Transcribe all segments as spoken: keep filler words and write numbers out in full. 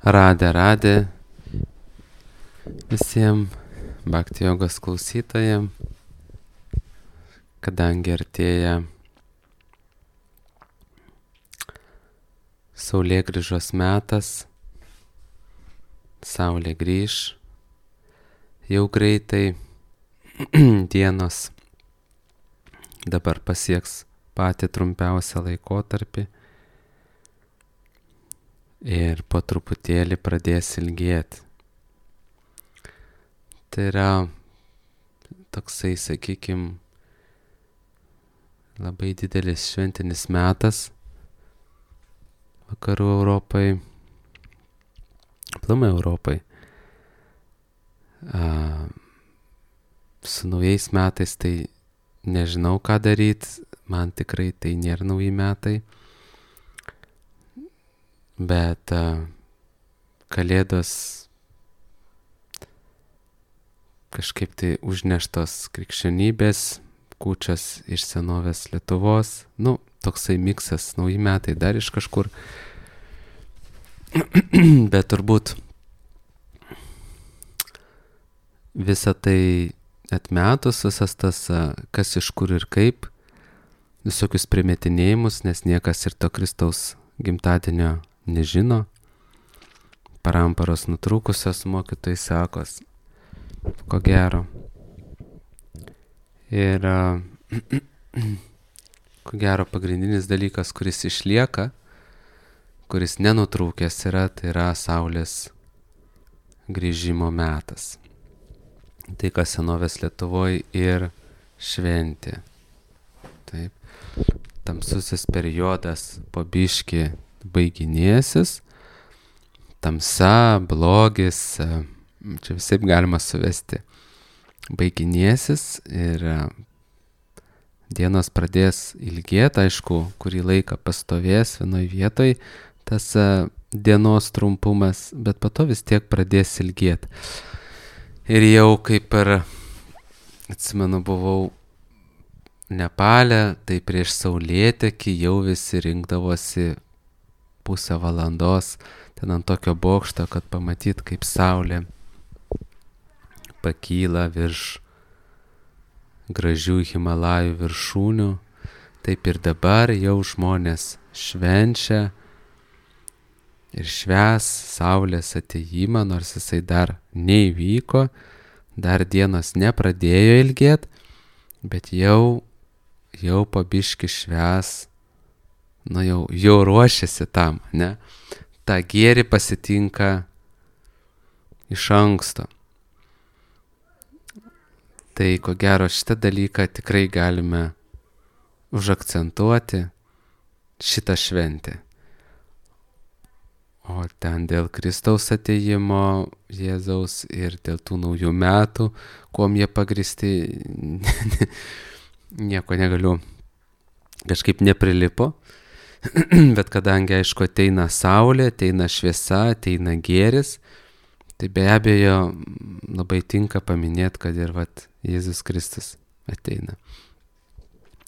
Radė, radė visiems Bhakti jogos klausytojams, kadangi artėja saulėgrįžos metas, saulė grįž, jau greitai dienos dabar pasieks patį trumpiausią laikotarpį ir po truputėlį pradės ilgėti. Tai yra toksai, sakykim, labai didelis šventinis metas vakarų Europai, aplamai Europai. A, su naujais metais tai nežinau, ką daryti, man tikrai tai nėra nauji metai, bet a, kalėdos kažkaip tai užneštos krikščionybės, kūčios iš senovės Lietuvos, nu, toksai miksas, nauji metai dar iš kažkur, bet turbūt visą tai atmetus, visas tas, kas iš kur ir kaip, visokius primetinėjimus, nes niekas ir to Kristaus gimtadienio nežino, paramparos nutrūkusios mokytojai sakos, ko gero. Ir ko gero pagrindinis dalykas, kuris išlieka, kuris nenutrūkęs yra, tai yra saulės grįžimo metas. Tai, kas senovės Lietuvoje ir šventė. Taip. Tamsusis periodas po biškį baiginėsis, tamsa, blogis, čia visaip galima suvesti, baiginėsis ir dienos pradės ilgėti, aišku, kurį laiką pastovės vienoj vietoj tas dienos trumpumas, bet po to vis tiek pradės ilgėti. Ir jau kaip ir, atsimenu, buvau Nepale, tai prieš saulėtekį jau visi rinkdavosi pusę valandos ten ant tokio bokšto, kad pamatyt, kaip saulė pakyla virš gražių Himalajų viršūnių. Taip ir dabar jau žmonės švenčia ir švęs saulės atėjimą, nors jisai dar neįvyko, dar dienos nepradėjo ilgėti, bet jau, jau po biškį švęs, nu jau, jau ruošiasi tam, ne? Ta gėrį pasitinka iš anksto. Tai ko gero šitą dalyką tikrai galime užakcentuoti šitą šventę. O ten dėl Kristaus atėjimo Jėzaus ir dėl tų naujų metų, kuom jie pagristi, nieko negaliu, kažkaip neprilipo. Bet kadangi, aišku, ateina saulė, ateina šviesa, ateina gėris, tai be abejo labai tinka paminėti, kad ir vat Jėzus Kristus ateina.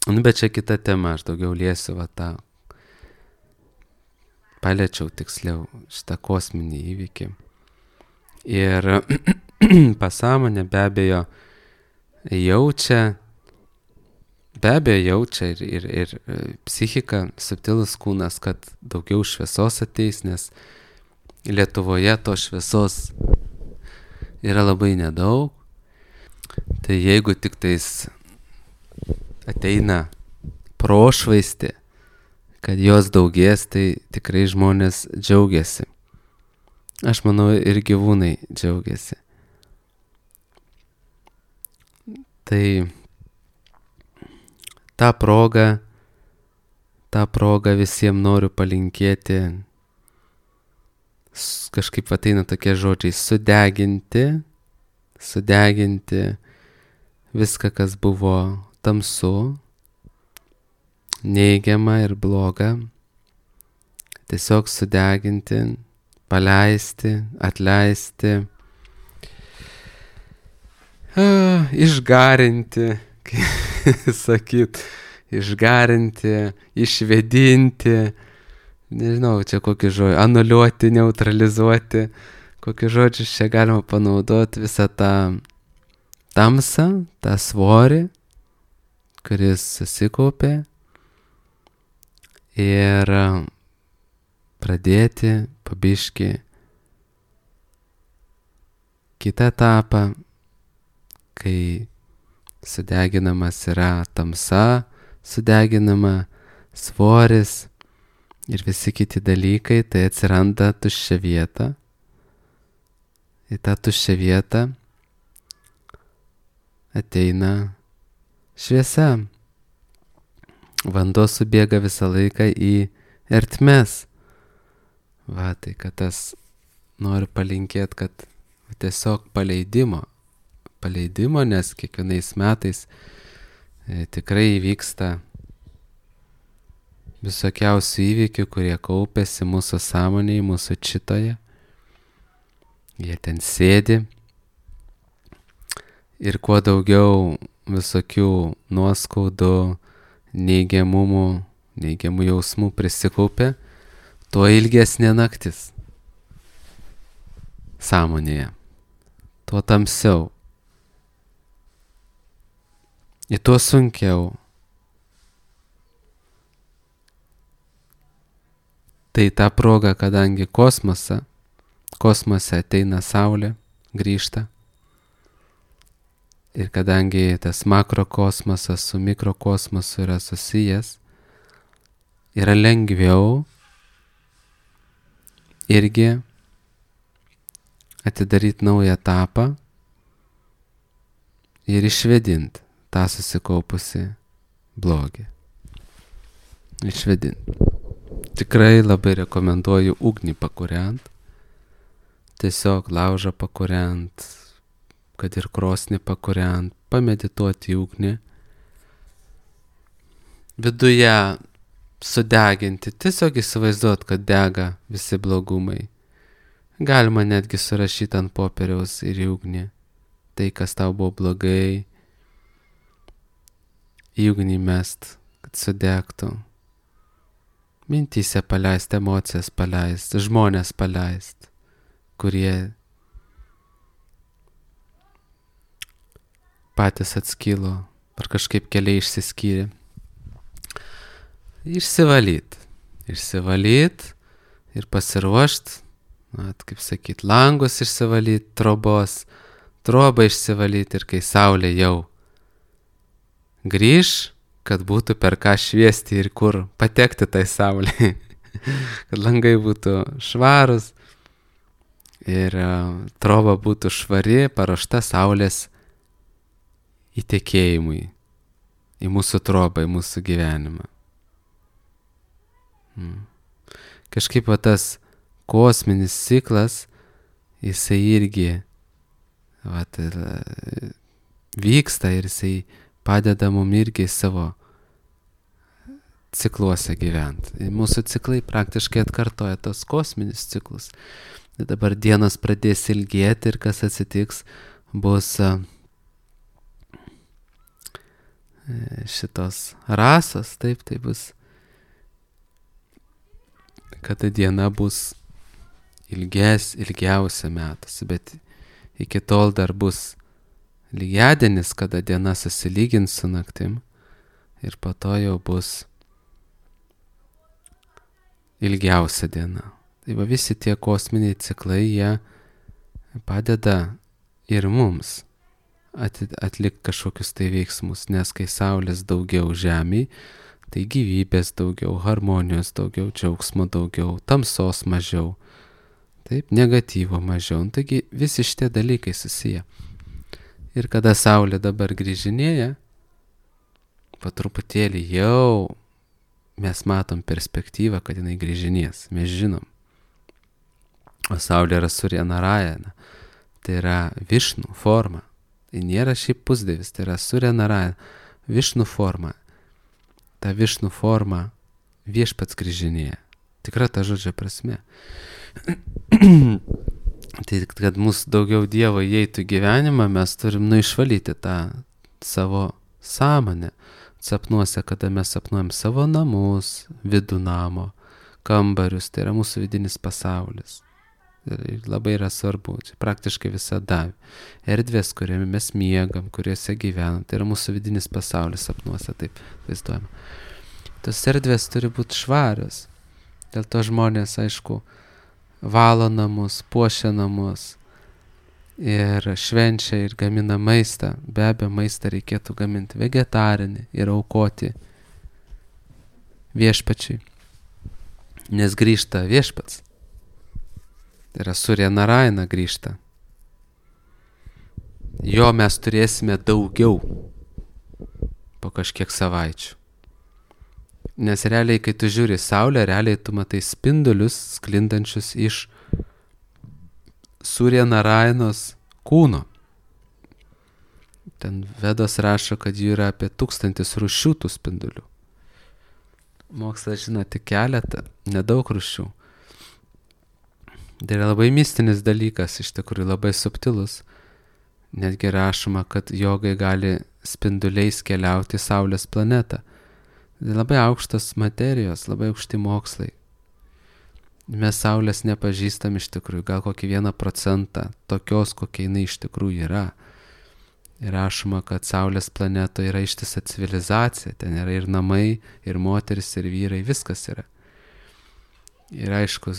Nu, bet čia kita tema, aš daugiau liesiu va tą, paliečiau tiksliau šitą kosminį įvykį. Ir pasąmonė be abejo jaučia, be abejo jaučia ir, ir, ir psichika, subtilus kūnas, kad daugiau šviesos ateis, nes Lietuvoje to šviesos yra labai nedaug. Tai jeigu tik tais ateina prošvaistė, kad jos daugės, tai tikrai žmonės džiaugiasi. Aš manau, ir gyvūnai džiaugiasi. Tai tą progą, tą progą visiems noriu palinkėti, kažkaip ateina tokie žodžiai, sudeginti, sudeginti viską, kas buvo tamsu, neigiama ir bloga, tiesiog sudeginti, paleisti, atleisti, a, išgarinti, kaip sakyt, išgarinti, išvedinti, nežinau, čia kokį žodį, anuliuoti, neutralizuoti, kokius žodžius čia galima panaudoti, visą tą tamsą, tą svorį, kuris susikaupė ir pradėti pabiški kitą etapą, kai sudeginamas yra tamsa, sudeginama svoris ir visi kiti dalykai, tai atsiranda tuščia vieta. Į tą tuščią vietą ateina šviesa. Vanduo subėga visą laiką į ertmes. Va, tai kad tas noriu palinkėti, kad tiesiog paleidimo, paleidimo, nes kiekvienais metais e, tikrai įvyksta visokiausių įvykių, kurie kaupėsi mūsų sąmonėje, mūsų čitoje. Jie ten sėdi ir kuo daugiau visokių nuoskaudų, neigiamumų, neigiamų jausmų prisikaupė, tuo ilgesnė naktis sąmonėje, tuo tamsiau. Ir tuo sunkiau. Tai ta proga, kadangi kosmose, kosmose ateina Saulė, grįžta. Ir kadangi tas makrokosmosas su mikrokosmosu yra susijęs, yra lengviau irgi atidaryti naują etapą ir išvedinti tą susikaupusi blogį. Išvedinti. Tikrai labai rekomenduoju ugnį pakūrent, tiesiog laužą pakūrent, kad ir krosnį pakūrent, pamedituoti į ugnį, viduje sudeginti, tiesiog įsivaizduot, kad dega visi blogumai. Galima netgi surašyti ant popieriaus ir į ugnį tai, kas tau buvo blogai, į ugnį mest, kad sudegtų. Mintyse paleist, emocijas paleist, žmonės paleist, kurie patys atskilo ar kažkaip keliai išsiskyrė. Išsivalyt, išsivalyt ir pasiruošt, na, kaip sakyt, langus išsivalyt, trobos, trobą išsivalyt ir kai saulė jau grįž, kad būtų per ką šviesti ir kur patekti tai saulė, kad langai būtų švarus ir troba būtų švari, paruošta saulės įtekėjimui į mūsų trobą, į mūsų gyvenimą. Hmm. Kažkaip va tas kosminis ciklas, jisai irgi va, tai, vyksta ir jisai padeda mum irgi savo cikluose gyventi. Mūsų ciklai praktiškai atkartoja tos kosminius ciklus. Dabar dienos pradės ilgėti ir kas atsitiks, bus šitos rasos, taip, tai bus, kad diena bus ilges, ilgiausia metuose, bet iki tol dar bus lygiadienis, kada diena susilygins su naktim ir po to jau bus ilgiausia diena. Tai va visi tie kosminiai ciklai, jie padeda ir mums atlikti kažkokius tai veiksmus, nes kai saulės daugiau žemėje, tai gyvybės daugiau, harmonijos daugiau, džiaugsmo daugiau, tamsos mažiau, taip, negatyvo mažiau. Taigi visi šitie dalykai susiję. Ir kada saulė dabar grįžinėja, po truputėlį jau mes matom perspektyvą, kad jinai grįžinės, mes žinom. O saulė yra Surya Narayana, tai yra Višnu forma. Tai nėra šiaip pusdievis, tai yra Surya Narayana, Višnu forma. Ta Višnu forma viešpats grįžinėja. Tikra ta žodžio prasme. Tai kad mūsų daugiau Dievo įeitų gyvenimą, mes turim nu išvalyti tą savo sąmonę. Sapnuose, kada mes sapnuojam savo namus, vidų namo, kambarius, tai yra mūsų vidinis pasaulis. Ir labai yra svarbu, čia praktiškai visada. Erdvės, kuriame mes miegam, kuriuose gyvenam, tai yra mūsų vidinis pasaulis sapnuose, taip vaizduojama. Tos erdvės turi būti švarios. Dėl to žmonės, aišku, valo namus, puošia namus ir švenčia ir gamina maistą. Be abejo, maistą reikėtų gaminti vegetarinį ir aukoti viešpačiui, nes grįžta viešpats. Tai yra Surya Narayana grįžta. Jo mes turėsime daugiau po kažkiek savaičių. Nes realiai, kai tu žiūri saulę, realiai tu matai spindulius sklindančius iš Surya Narayanos kūno. Ten Vedos rašo, kad jų yra apie tūkstantis rūšių tų spindulių. Mokslas žino tik keletą, nedaug rūšių. Tai yra labai mistinis dalykas, iš tikrųjų labai subtilus. Netgi rašoma, kad jogai gali spinduliais keliauti į Saulės planetą. Tai labai aukštos materijos, labai aukšti mokslai. Mes Saulės nepažįstam iš tikrųjų, gal kokį vieną procentą tokios, kokia jinai iš tikrųjų yra. Ir rašoma, kad Saulės planetoje yra ištisa civilizacija, ten yra ir namai, ir moteris, ir vyrai, viskas yra. Ir aišku,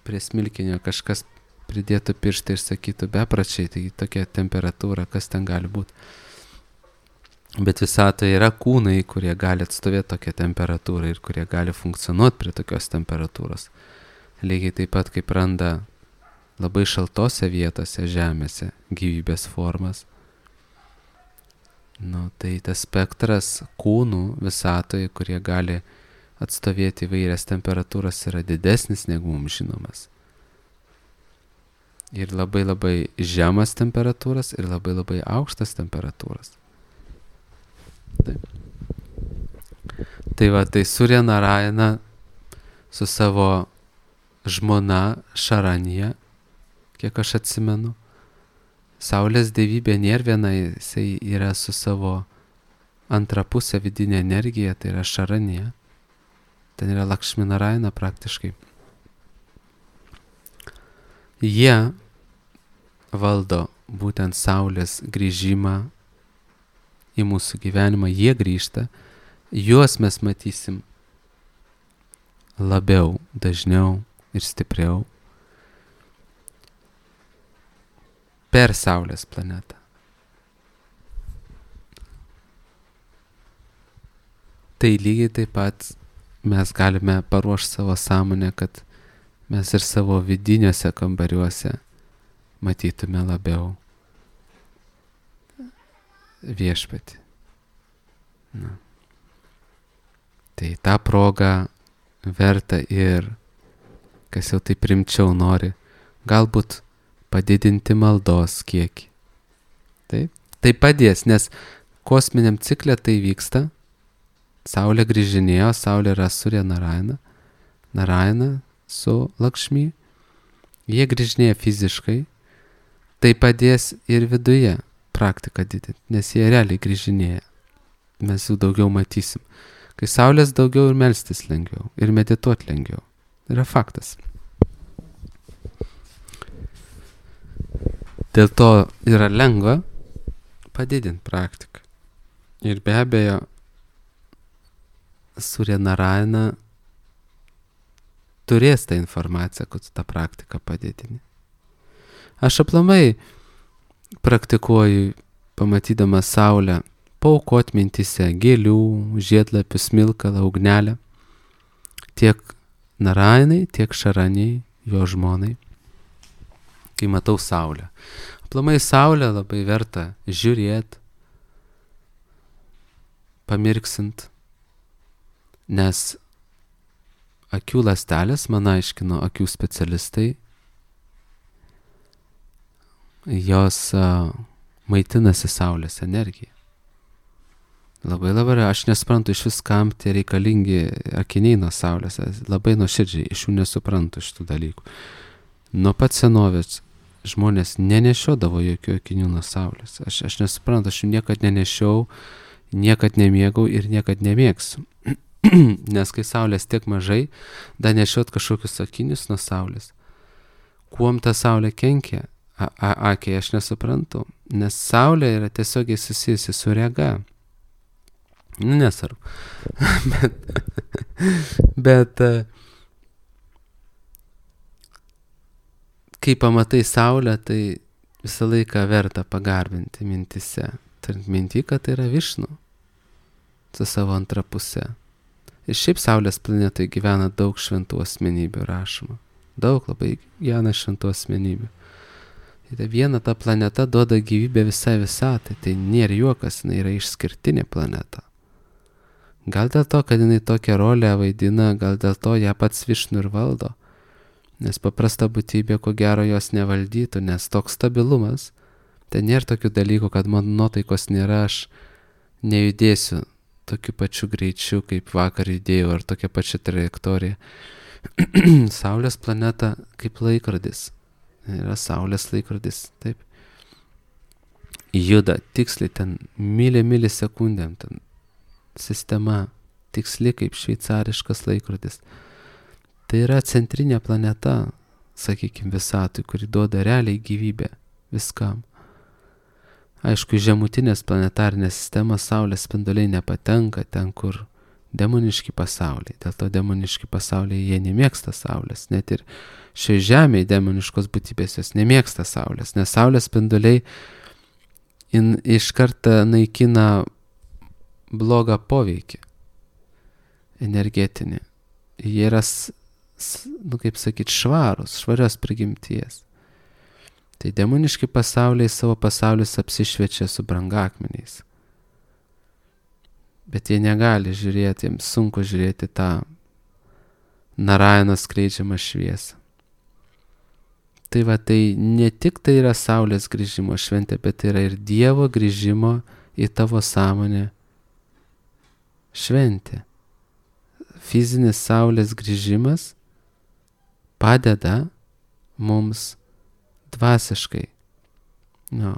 prie smilkinio kažkas pridėtų pirštą ir sakytų bepračiai, tai tokia temperatūra, kas ten gali būti. Bet visatoje yra kūnai, kurie gali atstovėti tokią temperatūrą ir kurie gali funkcionuoti prie tokios temperatūros. Lygiai taip pat kaip randa labai šaltose vietose žemėse gyvybės formas. Nu, tai tas spektras kūnų visatoje, kurie gali atstovėti įvairias temperatūras, yra didesnis negu mums žinomas. Ir labai labai žemas temperatūras ir labai labai aukštas temperatūras. Taip. Tai va, tai Surya Narayana su savo žmona Šaranija, kiek aš atsimenu, Saulės dievybė nėra viena, jisai yra su savo antra pusė vidinė energija, tai yra Šaranija. Ten yra Lakšmi Narayana praktiškai. Jie valdo būtent Saulės grįžimą į mūsų gyvenimą, jie grįžta, juos mes matysim labiau, dažniau ir stipriau per Saulės planetą. Tai lygiai taip pat mes galime paruošti savo sąmonę, kad mes ir savo vidiniuose kambariuose matytume labiau viešpatį. Na. Tai tą progą verta ir, kas jau taip rimčiau nori, galbūt padidinti maldos kiekį. Taip? Tai padės, nes kosminiam cikle tai vyksta. Saulė grįžinėjo, Saulė yra Surya Narayana, Narayana su Lakšmi. Jie grįžinėja fiziškai. Tai padės ir viduje praktiką didinti, nes jie realiai grįžinėja. Mes jų daugiau matysim. Kai Saulės daugiau ir melstis lengviau, ir medituoti lengviau. Tai yra faktas. Dėl to yra lengva padidinti praktiką. Ir be abejo, Surya Narayana turės tą informaciją, kad tą praktiką padidini. Aš aplamai praktikuoju, pamatydamas Saulę, paaukot mintise gėlių, žiedlapių, smilkalą, ugnelę, tiek Narayanai, tiek Šaranijai, jo žmonai, kai matau Saulę. Aplamai Saulę labai verta žiūrėti, pamirksint, nes akių ląstelės, man aiškino akių specialistai, jos uh, maitinasi Saulės energiją. Labai labai, aš nesuprantu iš vis, kam tie reikalingi akiniai nuo Saulės, labai nuoširdžiai iš jų nesuprantu šitų dalykų. Nuo pat senovės žmonės nenešiodavo jokių akinių nuo Saulės. Aš, aš nesuprantu, aš jų niekad nenešiau, niekad nemėgau ir niekad nemėgsiu. Nes kai saulės tiek mažai, dar nešiot kažkokius akinius nuo saulės. Kuom ta saulė kenkia? A, a, akiai aš nesuprantu, nes saulė yra tiesiogiai susijusi su rega. Nu, nesvarbu. bet, bet kai pamatai saulę, tai visą laiką verta pagarbinti mintise. Turint minty, kad tai yra Višnu su savo antra pusė. Ir šiaip saulės planetoje gyvena daug šventų asmenybių rašoma. Daug labai gyvena šventų asmenybių. Tai viena ta planeta duoda gyvybę visai visatai. Tai nėra juokas, jinai yra išskirtinė planeta. Gal dėl to, kad jinai tokią rolę vaidina, gal dėl to ją pats Višnu ir valdo. Nes paprasta būtybė, ko gero, jos nevaldytų, nes toks stabilumas, tai nėra tokių dalykų, kad man nuotaikos nėra, aš nejudėsiu tokiu pačiu greičiu, kaip vakar judėjau, ar tokia pačia trajektorija. Saulės planeta kaip laikrodis. Yra Saulės laikrodis, taip. Juda tiksliai ten milį milisekundėm, ten sistema tiksli kaip šveicariškas laikrodis. Tai yra centrinė planeta, sakykime, visatui, kuri duoda realiai gyvybę viskam. Aišku, žemutinės planetarinės sistemos Saulės spinduliai nepatenka ten, kur demoniški pasauliai. Dėl to demoniški pasauliai jie nemėgsta Saulės. Net ir šioje žemėje demoniškos būtybės jos nemėgsta Saulės, nes Saulės spinduliai in, iš karto naikina blogą poveikį energetinį. Jie yra, nu kaip sakyti, švarus, švarios prigimties. Tai demoniški pasauliai savo pasaulius apsišviečia su brangakmeniais. Bet jie negali žiūrėti, jiems sunku žiūrėti tą Narayano skleidžiamą šviesą. Tai va, tai ne tik tai yra Saulės grįžimo šventė, bet tai yra ir Dievo grįžimo į tavo sąmonę šventė. Fizinis Saulės grįžimas padeda mums dvasiškai, nu,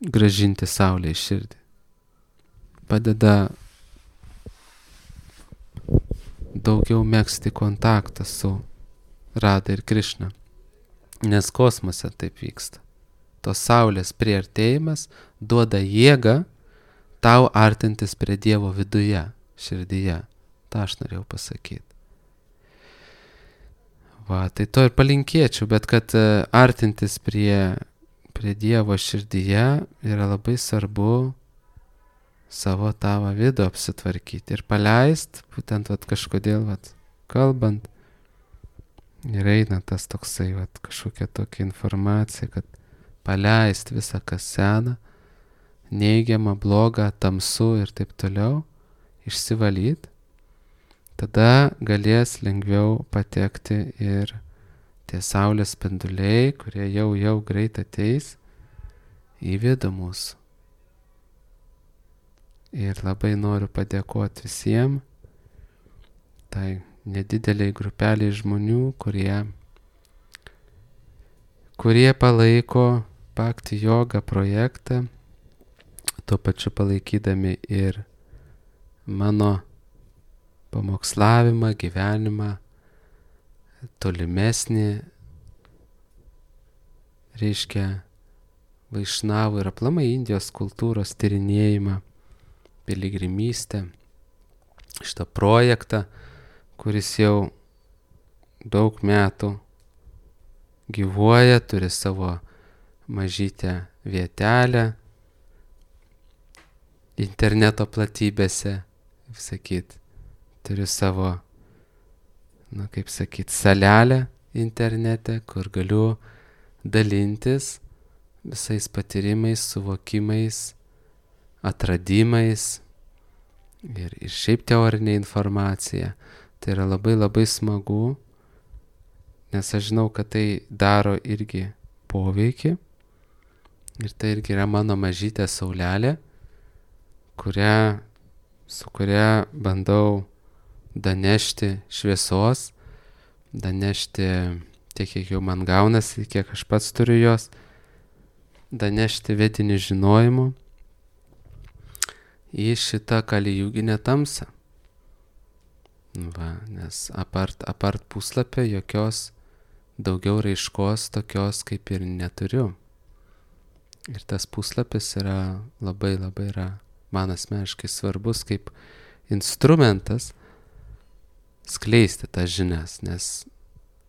grąžinti Saulę į širdį. Padeda daugiau megzti kontaktą su Rada ir Krišna, nes kosmose taip vyksta. Tos Saulės priartėjimas duoda jėgą tau artintis prie Dievo viduje, širdyje. Ta aš norėjau pasakyti. Va, tai to ir palinkėčiau, bet kad artintis prie, prie Dievo širdyje yra labai svarbu savo tavo vidų apsitvarkyti ir paleist, būtent vat, kažkodėl vat, kalbant, ir eina tas toksai vat, kažkokia tokia informacija, kad paleist visą, kas sena, neigiamą, blogą, tamsu ir taip toliau, išsivalyt, tada galės lengviau patekti ir tie Saulės spinduliai, kurie jau jau greit ateis į vidų mūsų. Ir labai noriu padėkoti visiems, tai nedideliai grupeliai žmonių, kurie, kurie palaiko Bhakti Yoga projektą, tuo pačiu palaikydami ir mano pamokslavimą, gyvenimą, tolimesnį, reiškia, vaišnavų ir aplamai Indijos kultūros tyrinėjimą, piligrimystę, šitą projektą, kuris jau daug metų gyvuoja, turi savo mažytę vietelę interneto platybėse, kaip sakyt, turiu savo, na kaip sakyt, salelę internete, kur galiu dalintis visais patyrimais, suvokimais, atradimais ir, ir šiaip teorinė informacija. Tai yra labai labai smagu, nes aš žinau, kad tai daro irgi poveikį ir tai irgi yra mano mažytė saulelė, kurią, su kuria bandau danešti šviesos, danešti tiek, kiek jau man gaunasi, kiek aš pats turiu jos, danešti vedinį žinojimų į šitą kalijūginę tamsą. Va, nes apart, apart puslapio jokios daugiau raiškos tokios kaip ir neturiu. Ir tas puslapis yra labai labai yra man asmeniškai svarbus kaip instrumentas skleisti tas žinias, nes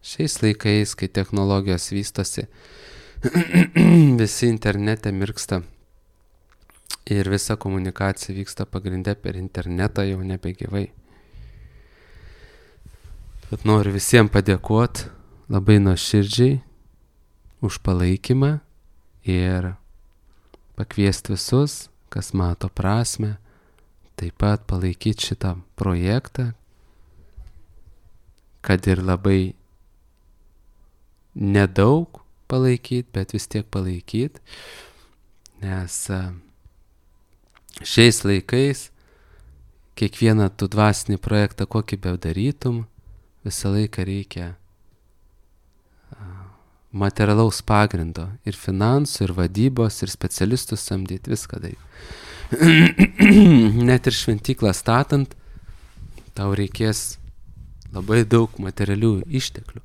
šiais laikais, kai technologijos vystosi, visi internete mirksta ir visa komunikacija vyksta pagrinde per internetą, jau nebegyvai. Bet noriu visiems padėkoti labai nuoširdžiai už palaikymą ir pakviesti visus, kas mato prasmę, taip pat palaikyti šitą projektą, kad ir labai nedaug palaikyti, bet vis tiek palaikyti, nes šiais laikais kiekvieną tu dvasinį projektą, kokį bedarytum, visą laiką reikia materialaus pagrindo ir finansų, ir vadybos, ir specialistų samdyti, viską daryti. Net ir šventyklą statant, tau reikės labai daug materialių išteklių.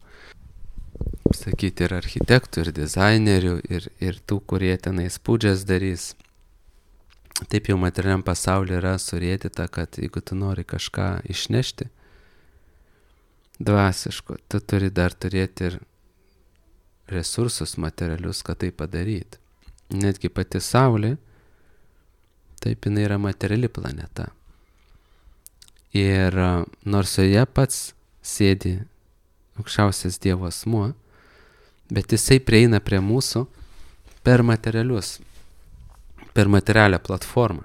Sakyti, ir architektų, ir dizainerių, ir, ir tų, kurie tenais pūdžias darys. Taip jau materialiam pasaulyje yra surėdyta, kad jeigu tu nori kažką išnešti dvasiško, tu turi dar turėti ir resursus materialius, kad tai padaryti. Netgi pati Saulė, taip jinai yra materiali planeta. Ir nors joje pats sėdi aukščiausias Dievo asmuo, bet jisai prieina prie mūsų per materialius, per materialią platformą.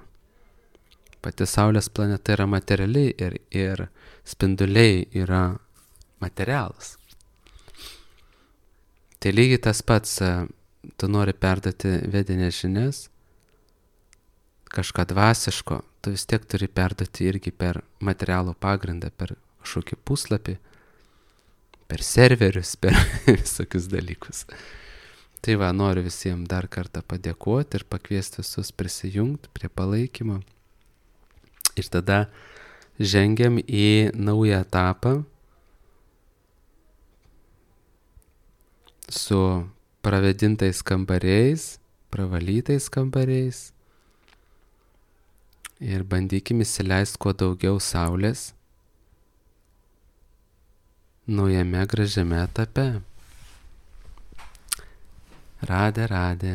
Pati Saulės planeta yra materiali ir, ir spinduliai yra materialus. Tai lygiai tas pats, tu nori perduoti vedinės žinias, kažką dvasiško, tu vis tiek turi perduoti irgi per materialų pagrindą, per kažkokį puslapį, per serverius, per visokius dalykus. Tai va, noriu visiems dar kartą padėkoti ir pakviesti visus prisijungti prie palaikymo. Ir tada žengiam į naują etapą su pravedintais kambariais, pravalytais kambariais ir bandykim įsileisti kuo daugiau saulės naujame gražiame etape. Radė, radė.